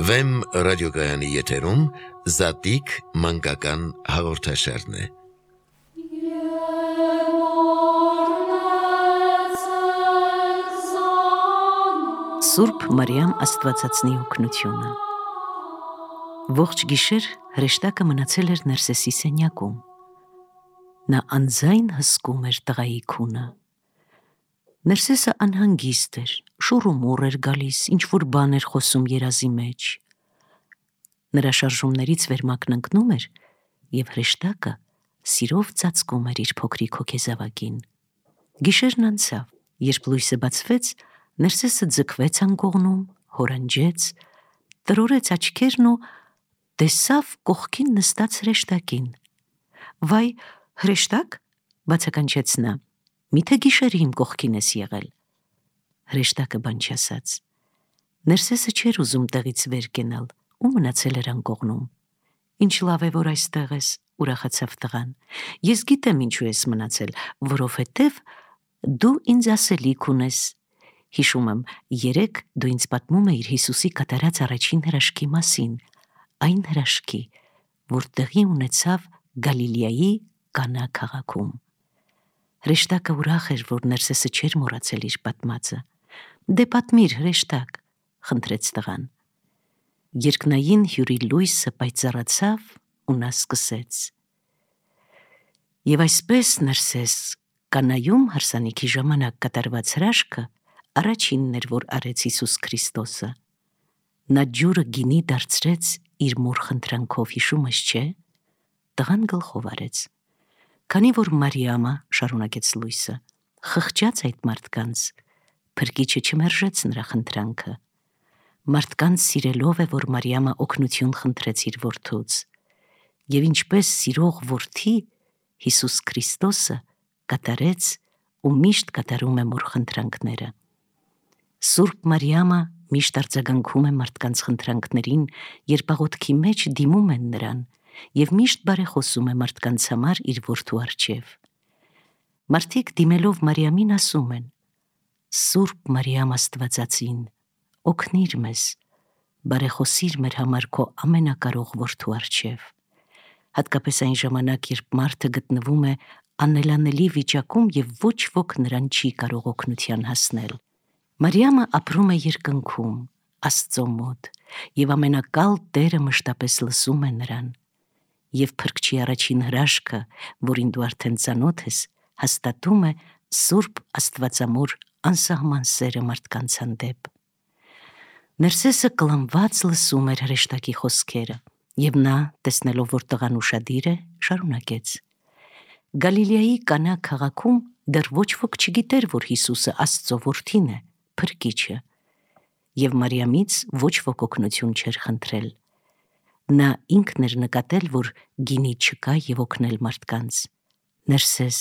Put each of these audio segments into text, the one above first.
Վեմ ռադիոգայանի եթերում Զատիկ մանկական հաղորդաշարն է։ Սուրբ Մարիամ Աստվածածնի օգնությունը։ Ողջ գիշեր հրեշտակը մնացել էր Ներսեսի սենյակում։ Նա անձայն հսկում էր տղայի քունը։ Ներսեսը անհանգիստ էր, շուռումուռ էր գալիս, ինչ-որ բան էր խոսում երազի մեջ։ Նրա շարժումներից վերմակնընկնում էր, և հրեշտակը սիրով ծածկում էր իր փոքրիկ հոգեզավակին։ Գիշերն անցավ, երբ լույսը բացվեց, Ներսեսը ձգվեց անկողնում, հորանջեց, տրորեց աչքերն ու տեսավ կողքին նստած հրեշտակին։ «Վայ, հրեշտակ», բացականչեց նա, «միթե գիշերը իմ կողքին ես եղել»։ Հրեշտակը բան չասաց։ Ներսեսը չէր ուզում տեղից վեր կենալ ու մնացել էր անկողնում։ «Ինչ լավ է, որ այստեղ ես», ուրախացավ տղան։ «Ես գիտեմ ինչու ես մնացել, որովհետև դու ինձ ասելիք ունես։ Հիշում եմ, երեկ դու ինձ պատմում էիր Հիսուսի կատարած առաջին հրաշքի մասին, այն հրաշքի, որ տեղի ունեցավ Գալիլեայի Կանա քաղաքում»։ Հրեշտակը ուրախ էր, որ Ներսեսը չէր մոռացել իր պատմածը։ «Դե պատմիր, հրեշտակ», խնդրեց տղան։ Երկնային հյուրի լույսը պայծառացավ ու նա սկսեց. «Եվ այսպես, Ներսես, Կանայում հարսանիքի ժամանակ կատարված հրաշքը առաջինն էր, որ արեց Հիսուս Քրիստոսը։ Նա ջուրը գինի դարձրեց իր մոր խնդրանքով, հիշում ես, չէ՞։ Տղան գլխով արեց։ Քանի որ Մարիամը, շարունակեց լույսը, խղճաց այդ մարդկանց, Փրկիչը չմերժեց նրա խնդրանքը։ Մարդկանց սիրելով է, որ Մարիամը օգնություն խնդրեց իր որդուց։ Եվ ինչպես սիրող որդի, Հիսուս Քրիստոսը կատարեց ու միշտ կատարում է մոր խնդրանքները։ Սուրբ Մարիամը միշտ արձագանքում է մարդկանց խնդրանքներին, երբ աղոթքի մեջ դիմում են նրան, և միշտ բարեխոսում է մարդկանց համար իր որդու առջև։ Մարդիկ դիմելով Մարիամին ասում են. «Սուրբ Մարիամ Աստվածածին, օգնիր մեզ, բարեխոսիր մեր համար քո ամենակարող որդու առջև»։ Հատկապես այն ժամանակ, երբ մարդը գտնվում է անելանելի վիճակում և ոչ ոք նրան չի կարող օգնության հասնել։ Մարիամը ապրում է երկնքում, Աստծո մոտ, և ամենակալ Տերը մշտապես լսում է նրան։ Եվ Փրկչի առաջին հրաշքը, որին դու արդեն ծանոթ ես, հաստատում է Սուրբ Աստվածամոր անսահման սերը մարդկանց հանդեպ։ Ներսեսը կլանված լսում էր հրեշտակի խոսքերը, և նա, տեսնելով, որ տղան ուշադիր է, շարունակեց. «Գալիլեայի Կանա քաղաքում դեռ ոչ ոք չգիտեր, որ Հիսուսը Աստծո որդին է, Փրկիչը, և Մարիամից ոչ ոք օգնություն չէր խնդրել։ Նա ինքն էր նկատել, որ գինի չկա և օգնել մարդկանց։ Ներսես,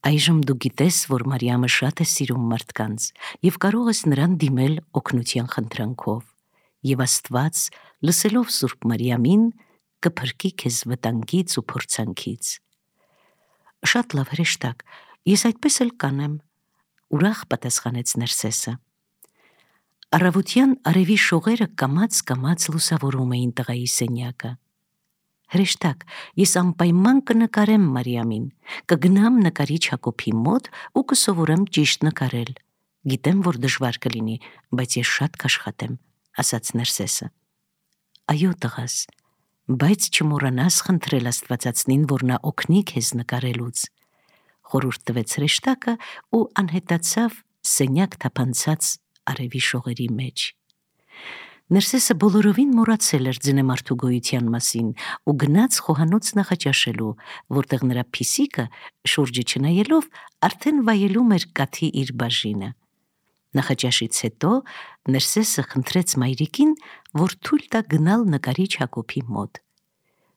այժմ դու գիտես, որ Մարիամը շատ է սիրում մարդկանց և կարող ես նրան դիմել օգնության խնդրանքով, և Աստված, լսելով Սուրբ Մարիամին, կփրկի քեզ վտանգից ու փորձանքից»։ «Շատ լավ, հրեշտակ, ես այդպես էլ կանեմ», ուրախ պատասխանեց Ներսեսը։ Առավոտյան արևի շողերը կամաց-կամաց լուսավորում էին տղայի սենյակը։ «Հրեշտակ, ես անպայման կնկարեմ Մարիամին, կգնամ նկարիչ Հակոբի մոտ ու կսովորեմ ճիշտ նկարել։ Գիտեմ, որ դժվար կլինի, բայց ես շատ կաշխատեմ», ասաց Ներսեսը։ «Այո, տղաս, բայց չմոռանաս խնդրել Աստվածածնին, որ նա օգնի քեզ նկարելուց», խորհուրդ տվեց հրեշտակը ու անհետացավ սենյակ թափանցած արևի շողերի մեջ։ Ներսեսը բոլորովին մոռացել էր ձնեմարդու գոյության մասին ու գնաց խոհանոց նախաճաշելու, որտեղ նրա փիսիկը, շուրջը չնայելով, արդեն վայելում էր կաթի իր բաժինը։ Նախաճաշից հետո Ներսեսը խնդրեց մայրիկին, որ թույլ տա գնալ նկարիչ Հակոբի մոտ։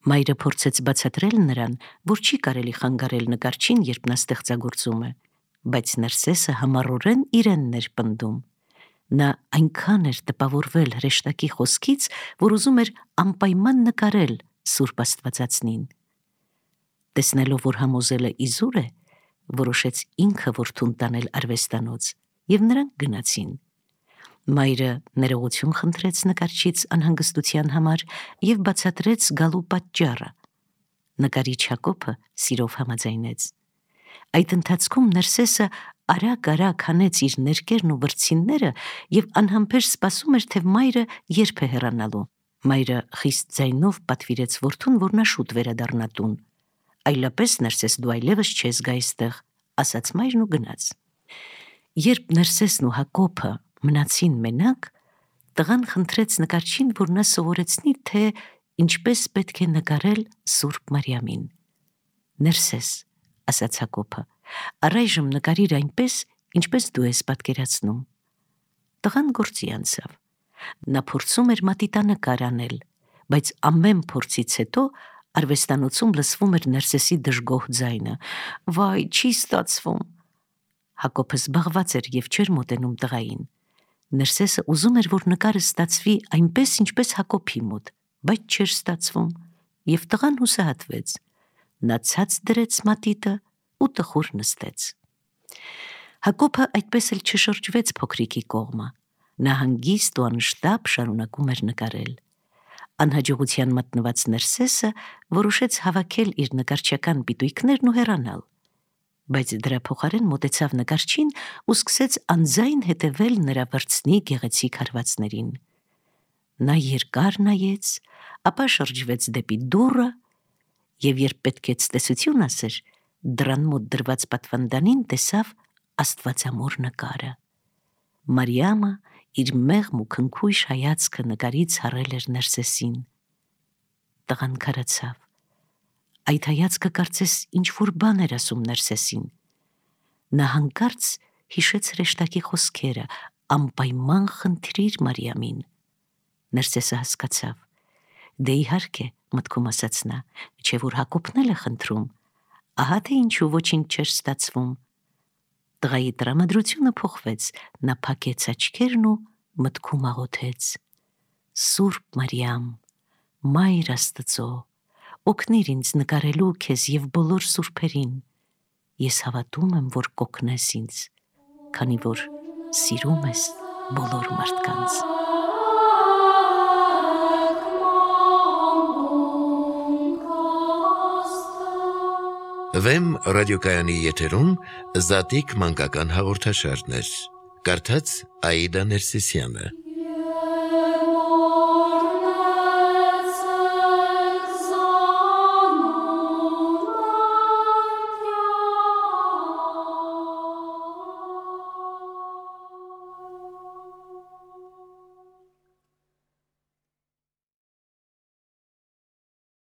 Մայրը փորձեց բացատրել նրան, որ չի կարելի խանգարել նկարչին, երբ նա ստեղծագործում է, բայց Ներսեսը համառորեն իրենն էր պնդում։ Նա այնքան էր տպավորվել հրեշտակի խոսքից, որ ուզում էր անպայման նկարել Սուրբ Աստվածածնին։ Տեսնելով, որ համոզելը իզուր է, որոշեց ինքը որդուն տանել արվեստանոց, և նրանք գնացին։ Մայրը ներողություն խնդրեց նկարչից անհանգստության համար եւ բացատրեց գալու պատճառը։ Նկարիչ Հակոբը սիրով համաձայնեց։ Այդ ընթացքում Ներսեսը արագ հանեց իր ներկերն ու վրձինները եւ անհամբեր սպասում էր, թե մայրը երբ է հեռանալու։ Մայրը խիստ ձայնով պատվիրեց որդուն, որ նա շուտ վերադառնա տուն։ Այլապես Ներսես, դու այլևս չես գա այստեղ, ասաց մայրն ու գնաց։ Երբ Ներսեսն ու Հակոբը մնացին մենակ, տղան խնդրեց նկարչին, որ նա սովորեցնի, թե ինչպես պետք է նկարել Սուրբ Մարիամին։ Ներսես, ասաց Հակոբը, առայժմ նկարիր այնպես, ինչպես դու ես պատկերացնում։ Տղան գործի անցավ։ Նա փորձում էր մատիտանկար անել, բայց ամեն փորձից հետո արվեստանոցում լսվում էր Ներսեսի դժգոհ ձայնը. «Վայ, չի ստացվում»։ Հակոբը զբաղված էր եւ չէր մոտենում տղային։ Ներսեսը ուզում էր, որ նկարը ստացվի այնպես, ինչպես Հակոբի մոտ, բայց չէր ստացվում, եւ տղան հուսահատվեց։ Նա ցած դրեց մատիտը ու տխուր նստեց։ Հակոբը այդպես էլ չշրջվեց փոքրիկի կողմը։ Նա հանգիստ ու անշտապ շարունակում էր նկարել։ Անհաջողության մատնված Ներսեսը որոշեց հավաքել իր նկարչական պիտույքներն ու հեռանալ, բայց դրա փոխարեն մոտեցավ նկարչին ու սկսեց անձայն հետևել նրա վրձնի գեղեցիկ հարվածներին։ Նա երկար նայեց, ապա շրջվեց դեպի դուռը եւ երբ պետք է ցտեսություն ասեր, դռան մոտ դրված պատվանդանին տեսավ Աստվածամոր նկարը։ Մարիամը իր մեղմ ու քնքույշ հայացքը նկարից հառել էր Ներսեսին։ Տղան քարացավ։ Այդ հայացքը կարծես ինչ-որ բան էր ասում Ներսեսին։ Նա հանկարծ հիշեց հրեշտակի խոսքերը. «Անպայման խնդրիր Մարիամին»։ Ներսեսը հասկացավ։ Դե իհարկե, մտքում ասաց նա, չէ՞ որ Հակոբն էլ է խնդրում։ Ահա թե ինչու ոչինչ չէր ստացվում։ Տղայի տրամադրությունը փոխվեց, նա փակեց աչքերն ու մտքում աղոթեց. «Սուրբ Մարիամ, Մայր Աստծո, օգնիր ինձ նկարելու քեզ եւ բոլոր սուրբերին։ Ես հավատում եմ, որ կօգնես ինձ, քանի որ սիրում ես բոլոր մարդկանց»։ Վեմ ռադիոկայանի եթերում Զատիկ մանկական հաղորդաշարներ։ Կարդաց Աիդա Ներսիսյանը։